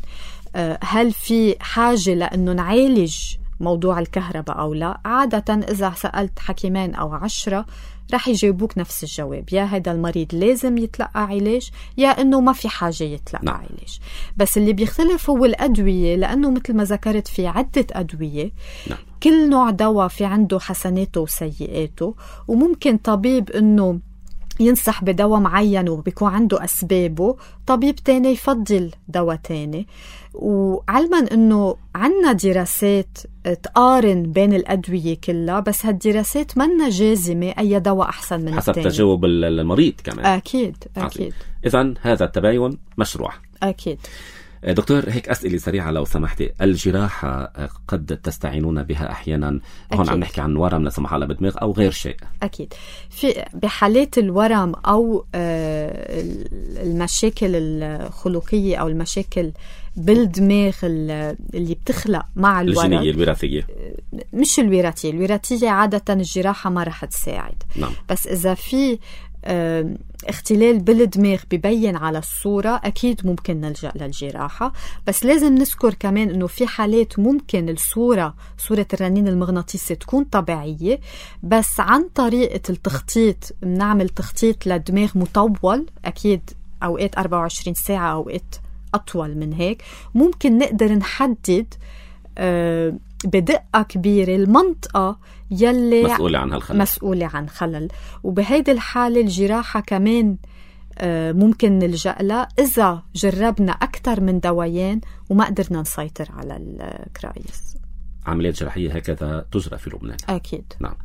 هل في حاجة لأنه نعالج موضوع الكهرباء أو لا؟ عادة إذا سألت حكيمين أو عشرة رح يجاوبوك نفس الجواب، يا هذا المريض لازم يتلقى علاج يا إنه ما في حاجة يتلقى نعم. علاج. بس اللي بيختلف هو الأدوية، لأنه مثل ما ذكرت في عدة أدوية نعم. كل نوع دواء في عنده حسناته وسيئاته، وممكن طبيب إنه ينصح بدواء معين وبيكون عنده أسبابه، طبيب تاني يفضل دواء تاني. وعلما أنه عنا دراسات تقارن بين الأدوية كلها، بس هالدراسات منا جازمة أي دواء أحسن من حسب التاني، حسب تجاوب المريض كمان. أكيد أكيد. إذن هذا التباين مشروع. أكيد. دكتور، هيك أسئلة سريعة لو سمحتي. الجراحة قد تستعينون بها أحيانا، هون عم نحكي عن ورم لا سمح الله بالدماغ أو غير شيء. أكيد. في بحالات الورم أو المشاكل الخلقية أو المشاكل بالدماغ اللي بتخلق مع الورم الجينية الوراثية، مش الوراثية الوراثية عادة الجراحة ما رح تساعد. نعم. بس إذا في اختلال بالدماغ ببين على الصورة أكيد ممكن نلجأ للجراحة. بس لازم نذكر كمان أنه في حالات ممكن الصورة صورة الرنين المغناطيسي تكون طبيعية، بس عن طريقة التخطيط بنعمل تخطيط لدماغ مطول، أكيد أوقات أربعة وعشرين ساعة أوقات أطول من هيك، ممكن نقدر نحدد أه بدقة كبيرة المنطقة يلي مسؤولة عن هالخلل مسؤولة عن خلل. وبهيدي الحالة الجراحة كمان ممكن نلجأ لها إذا جربنا أكثر من دوايين وما قدرنا نسيطر على الكرايس. عمليات جراحية هكذا تجرى في لبنان؟ أكيد. نعم.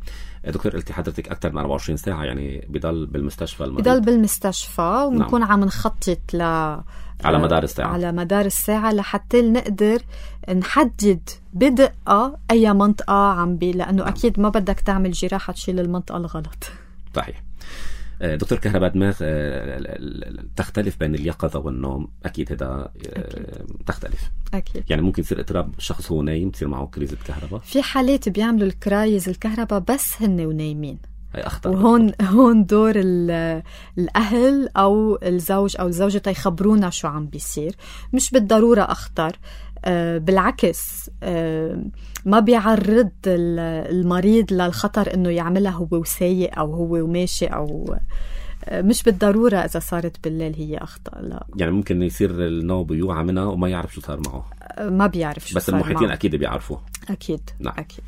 دكتور قلتي حضرتك أكثر من أربعة وعشرين ساعة، يعني بضل بالمستشفى المريض؟ بضل بالمستشفى ونكون نعم. عم نخطط ل على مدار الساعة على مدار الساعة لحتى نقدر نحدد بدقة أي منطقة عم بي، لأنه نعم. أكيد ما بدك تعمل جراحة تشيل المنطقة الغلط. صحيح. دكتور كهرباء دماغ تختلف بين اليقظة والنوم، أكيد هذا تختلف. أكيد. يعني ممكن يصير اضطراب شخص هو نايم تصير معه كريزة كهرباء؟ في حالات بيعملوا الكرايز الكهرباء بس هن ونايمين، أخطر. وهون هون دور الأهل أو الزوج أو الزوجة يخبرونا شو عم بيصير. مش بالضرورة أخطر، أه بالعكس أه ما بيعرض المريض للخطر إنه يعملها هو وسايق أو هو وماشي، أو أه مش بالضرورة إذا صارت بالليل هي أخطر. لا، يعني ممكن يصير النوم بيوعى منها وما يعرف شو صار معه. أه ما بيعرف شو بس صار معه. بس المحيطين أكيد بيعرفوا. أكيد. نعم. أكيد.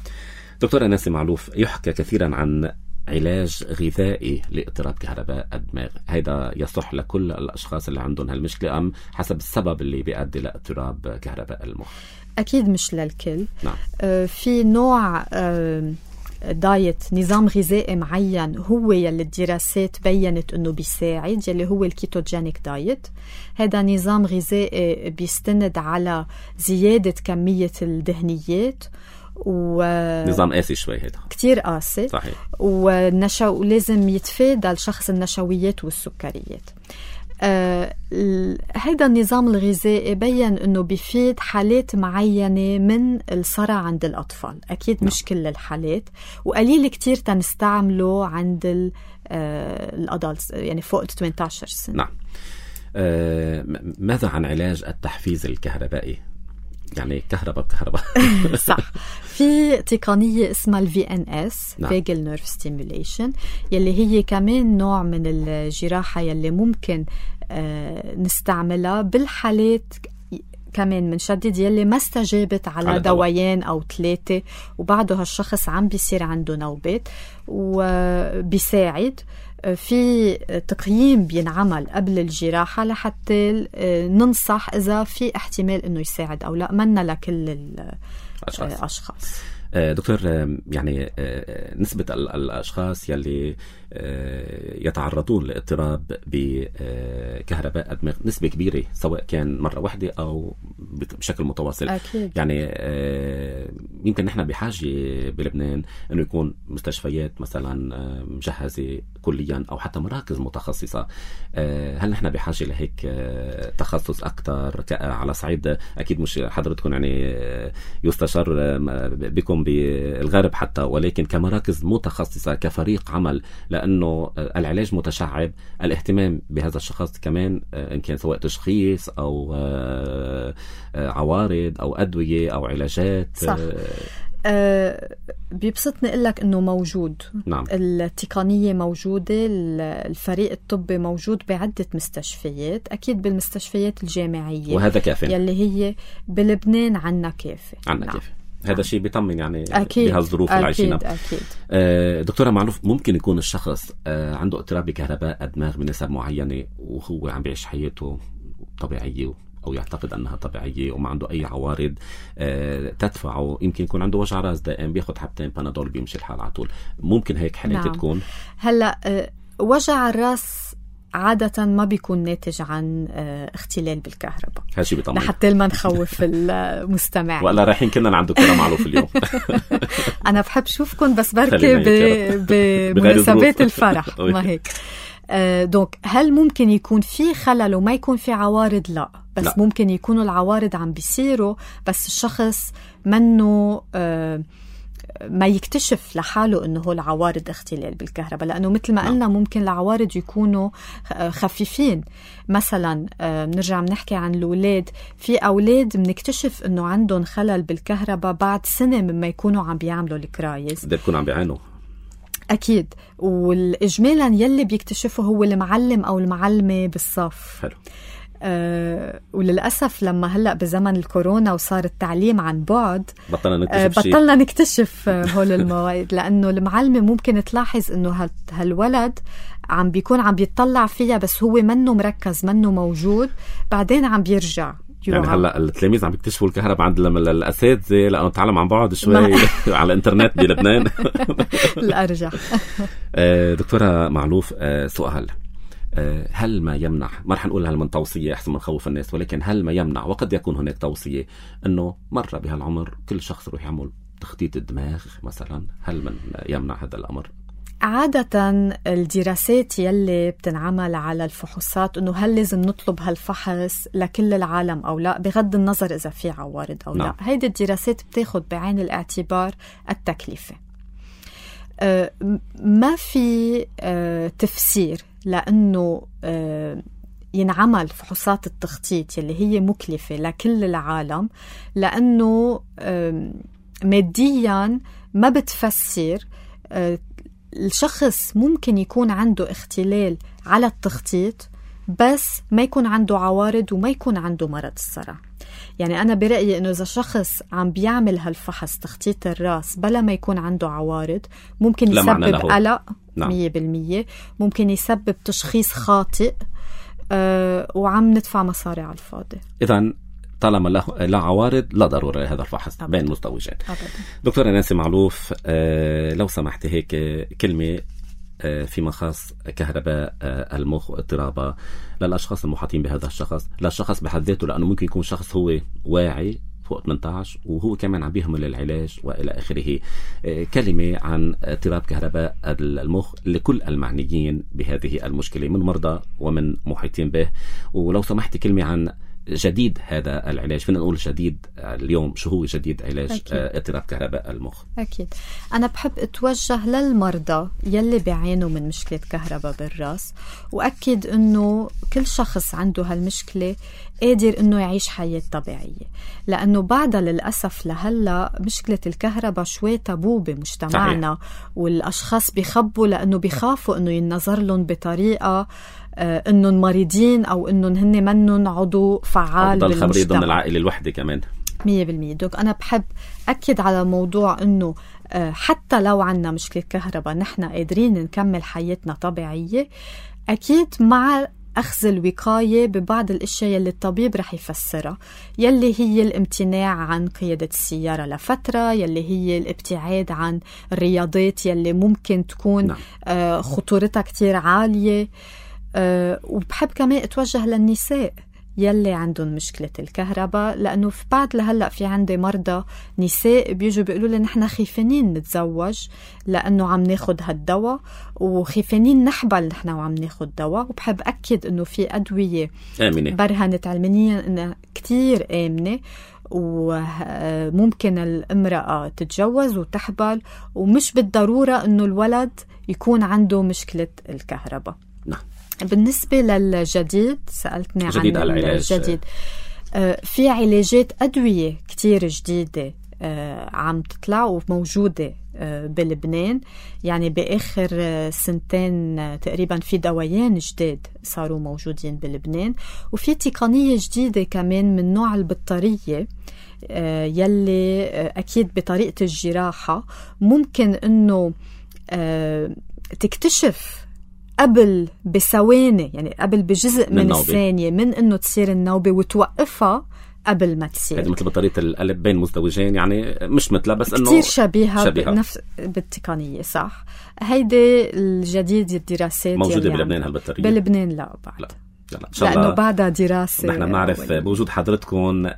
دكتورة نانسي معلوف، يحكى كثيرا عن علاج غذائي لاضطراب كهرباء الدماغ، هيدا يصح لكل الأشخاص اللي عندهم هالمشكلة أم حسب السبب اللي بيؤدي لاضطراب كهرباء المخ؟ أكيد مش للكل. نعم. آه في نوع آه دايت، نظام غذائي معين هو يلي الدراسات بيّنت أنه بيساعد، يلي هو الكيتوجينيك دايت. هذا نظام غذائي بيستند على زيادة كمية الدهنيات و... نظام قاسي شوي، هيدا كتير قاسي. صحيح. والنشو... ولازم يتفادى الشخص النشويات والسكريات. آه... هيدا النظام الغذائي بيّن أنه بيفيد حالات معينة من الصرع عند الأطفال، أكيد نعم. مش كل الحالات، وقليل كتير تنستعمله عند ال... آه... الأدلتس، يعني فوق ثمانية عشر سنة. نعم. آه... ماذا عن علاج التحفيز الكهربائي؟ يعني كهرباء بكهرباء. صح. في تقنية اسمها ال في إن إس نعم. Vagal Nerve Stimulation، يلي هي كمان نوع من الجراحة يلي ممكن آه نستعملها بالحالات كمان منشدد يلي ما استجابت على, على دوايين أو ثلاثة وبعده هالشخص عم بيصير عنده نوبات، وبيساعد. في تقييم بينعمل قبل الجراحة لحتى ننصح إذا في احتمال إنه يساعد أو لا، منا لكل الأشخاص. دكتور، يعني نسبة الأشخاص يلي يتعرضون لاضطراب بكهرباء الدماغ نسبة كبيرة، سواء كان مرة واحدة أو بشكل متواصل. أكيد. يعني يمكن نحن بحاجة بلبنان أنه يكون مستشفيات مثلا مجهزة كليا أو حتى مراكز متخصصة. هل نحن بحاجة لهيك تخصص أكتر على صعيد، أكيد مش حضرتكم يعني يستشار بكم بالغرب حتى، ولكن كمراكز متخصصة كفريق عمل، لأنه العلاج متشعب، الاهتمام بهذا الشخص كمان إن كان سواء تشخيص أو عوارض أو أدوية أو علاجات. صح. أه بيبسطني أقول لك إنه موجود. نعم. التقنية موجودة، الفريق الطبي موجود بعدة مستشفيات، أكيد بالمستشفيات الجامعية، وهذا كافي يلي هي بلبنان عنا كافي. عنا نعم. كافي. هذا شيء بيطمن يعني أكيد. بهالظروف اللي عايشينها. أكيد. آه دكتورة معلوف، ممكن يكون الشخص آه عنده اضطراب بكهرباء الدماغ بنسب معينة وهو عم بيعيش حياته طبيعية أو يعتقد أنها طبيعية وما عنده أي عوارض آه تدفعه، يمكن يكون عنده وجع راس دائم بياخد حبتين بانادول بيمشي الحال على طول، ممكن هيك حالات نعم. تكون هلأ آه وجع الراس عادة ما بيكون ناتج عن اه اختلال بالكهرباء، هالشي بيطمن لحتى ما نخوف المستمع. ولا رايحين كنا عند دكتورة معلوف اليوم. أنا بحب شوفكم بس بركي بمناسبات الفرح ما هيك. آه دونك هل ممكن يكون في خلل وما يكون في عوارض؟ لا، بس لا. ممكن يكونوا العوارض عم بيصيروا بس الشخص منه آه ما يكتشف لحاله انه هو العوارض اختلال بالكهرباء، لانه مثل ما قلنا ممكن العوارض يكونوا خفيفين. مثلا بنرجع بنحكي عن الاولاد، في اولاد بنكتشف انه عندهم خلل بالكهرباء بعد سنه مما يكونوا عم بيعملوا الكرايز، بدهم يكونوا عم بيعانوا اكيد. والاجمالا يلي بيكتشفه هو المعلم او المعلمه بالصف. حلو. أه وللأسف لما هلأ بزمن الكورونا وصار التعليم عن بعد بطلنا نكتشف أه بطلنا نكتشف هول المواعيد، لأنه المعلمة ممكن تلاحظ أنه هالولد عم بيكون عم بيطلع فيها بس هو منه مركز منه موجود، بعدين عم بيرجع. يعني هلا التلاميذ عم بيكتشفوا الكهرباء عند الأساتذة لأنه تعلم عن بعض شوي على الإنترنت بلبنان. الأرجح. دكتورة معلوف، سؤال، هل ما يمنع، ما رح نقول هل من توصية أحسن من خوف الناس، ولكن هل ما يمنع وقد يكون هناك توصية أنه مرة بهالعمر كل شخص يروح يعمل تخطيط الدماغ مثلا؟ هل من يمنع هذا الأمر؟ عادة الدراسات يلي بتنعمل على الفحوصات أنه هل لازم نطلب هالفحص لكل العالم أو لا، بغض النظر إذا في عوارض أو نعم. لا. هيدي الدراسات بتاخد بعين الاعتبار التكلفة. أه ما في أه تفسير لأنه أه ينعمل فحوصات التخطيط يلي هي مكلفة لكل العالم، لأنه أه ماديا ما بتفسر. أه الشخص ممكن يكون عنده اختلال على التخطيط بس ما يكون عنده عوارض وما يكون عنده مرض الصرع. يعني أنا برأيي إنه إذا شخص عم بيعمل هالفحص تخطيط الرأس بلا ما يكون عنده عوارض ممكن يسبب قلق مية بالمية، ممكن يسبب تشخيص خاطئ أه وعم ندفع مصاري على الفاضي. إذن طالما لا عوارض لا ضرورة هذا الفحص بين مزدوجين. دكتورة نانسي معلوف، آه لو سمحت هيك كلمة آه فيما خاص كهرباء آه المخ واضطرابها للأشخاص المحاطين بهذا الشخص، لا الشخص بحد ذاته، لأنه ممكن يكون شخص هو واعي فوق ثمانية عشر وهو كمان عم بيهمل العلاج وإلى آخره. آه كلمة عن اضطراب كهرباء المخ لكل المعنيين بهذه المشكلة من مرضى ومن محيطين به، ولو سمحت كلمة عن جديد هذا العلاج. فينا نقول جديد اليوم، شو هو جديد علاج اضطراب كهرباء المخ؟ أكيد أنا بحب أتوجه للمرضى يلي بيعانوا من مشكلة كهرباء بالرأس، وأكد أنه كل شخص عنده هالمشكلة قادر أنه يعيش حياة طبيعية، لأنه بعدها للأسف لهلا مشكلة الكهرباء شوي تابو بمجتمعنا. صحيح. والأشخاص بيخبوا لأنه بيخافوا أنه ينظر لهم بطريقة آه أنهم مريضين أو أنهم هن منهم عضو فعال بالمجتمع. خبري ضمن العائلة الوحدة كمان مية بالمية. دوك أنا بحب أكد على موضوع أنه آه حتى لو عنا مشكلة كهرباء نحن قادرين نكمل حياتنا طبيعية، أكيد مع أخذ الوقاية ببعض الأشياء يلي الطبيب رح يفسرها، يلي هي الامتناع عن قيادة السيارة لفترة، يلي هي الابتعاد عن الرياضات يلي ممكن تكون نعم. آه خطورتها كتير عالية. أه وبحب كمان اتوجه للنساء يلي عندهم مشكلة الكهرباء، لأنه في بعد لهلأ في عندي مرضى نساء بيجوا بيقولوا لي نحن خيفانين نتزوج لأنه عم ناخد هالدواء، وخيفانين نحبل نحن وعم ناخد دواء. وبحب أكد أنه في أدوية آمنة برهنت علميا أنها كتير آمنة وممكن الامرأة تتجوز وتحبل، ومش بالضرورة أنه الولد يكون عنده مشكلة الكهرباء. نعم. بالنسبة للجديد سألتني عن الجديد، آه في علاجات أدوية كتير جديدة آه عم تطلع وموجودة آه بلبنان. يعني بآخر آه سنتين آه تقريبا في دوايين جديد صاروا موجودين بلبنان، وفي تقنية جديدة كمان من نوع البطارية آه يلي آه أكيد بطريقة الجراحة ممكن أنه آه تكتشف قبل بثواني، يعني قبل بجزء من, من الثانية من انه تصير النوبة وتوقفها قبل ما تصير. هذه مثل بطارية القلب بين مزدوجين، يعني مش مثلها بس انه كتير شبيهة, شبيهة. بنفس بالتقنية. صح. هيدي الجديد الدراسات موجودة بلبنان هالبطارية؟ بلبنان لا بعد لا. يلا إن شاء الله، لأنه بعدها دراسة. نحن بنعرف بوجود حضرتكم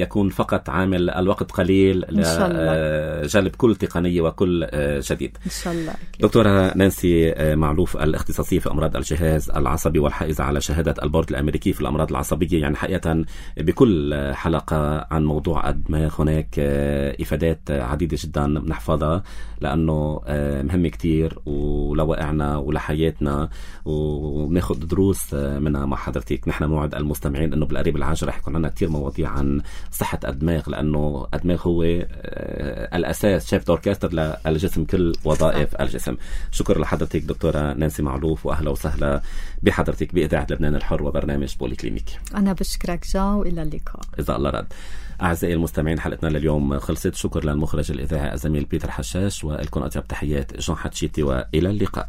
يكون فقط عامل الوقت قليل لجلب كل تقنية وكل جديد إن شاء الله. دكتورة نانسي معلوف، الاختصاصية في أمراض الجهاز العصبي والحائزة على شهادة البورد الأمريكي في الأمراض العصبية. يعني حقيقة بكل حلقة عن موضوع الدماغ هناك إفادات عديدة جدا بنحفظها، لأنه مهم كتير ولوقعنا ولحياتنا، وبناخد دروس منها مع حضرتك. نحن موعد المستمعين أنه بالقريب العاجل رح يكون عنا كتير مواضيع عن صحة الدماغ، لأنه الدماغ هو الأساس، شايف أوركستر للجسم، كل وظائف الجسم. شكرا لحضرتك دكتورة نانسي معلوف، وأهلا وسهلا بحضرتك بإذاعة لبنان الحر وبرنامج بولي كلينيك. أنا بشكرك جان، وإلى اللقاء إذا الله رد. أعزائي المستمعين، حلقتنا لليوم خلصت. شكر للمخرج الإذاعي الزميل بيتر حشاش، ولكم أطيب تحيات جان حتشيتي، وإلى اللقاء.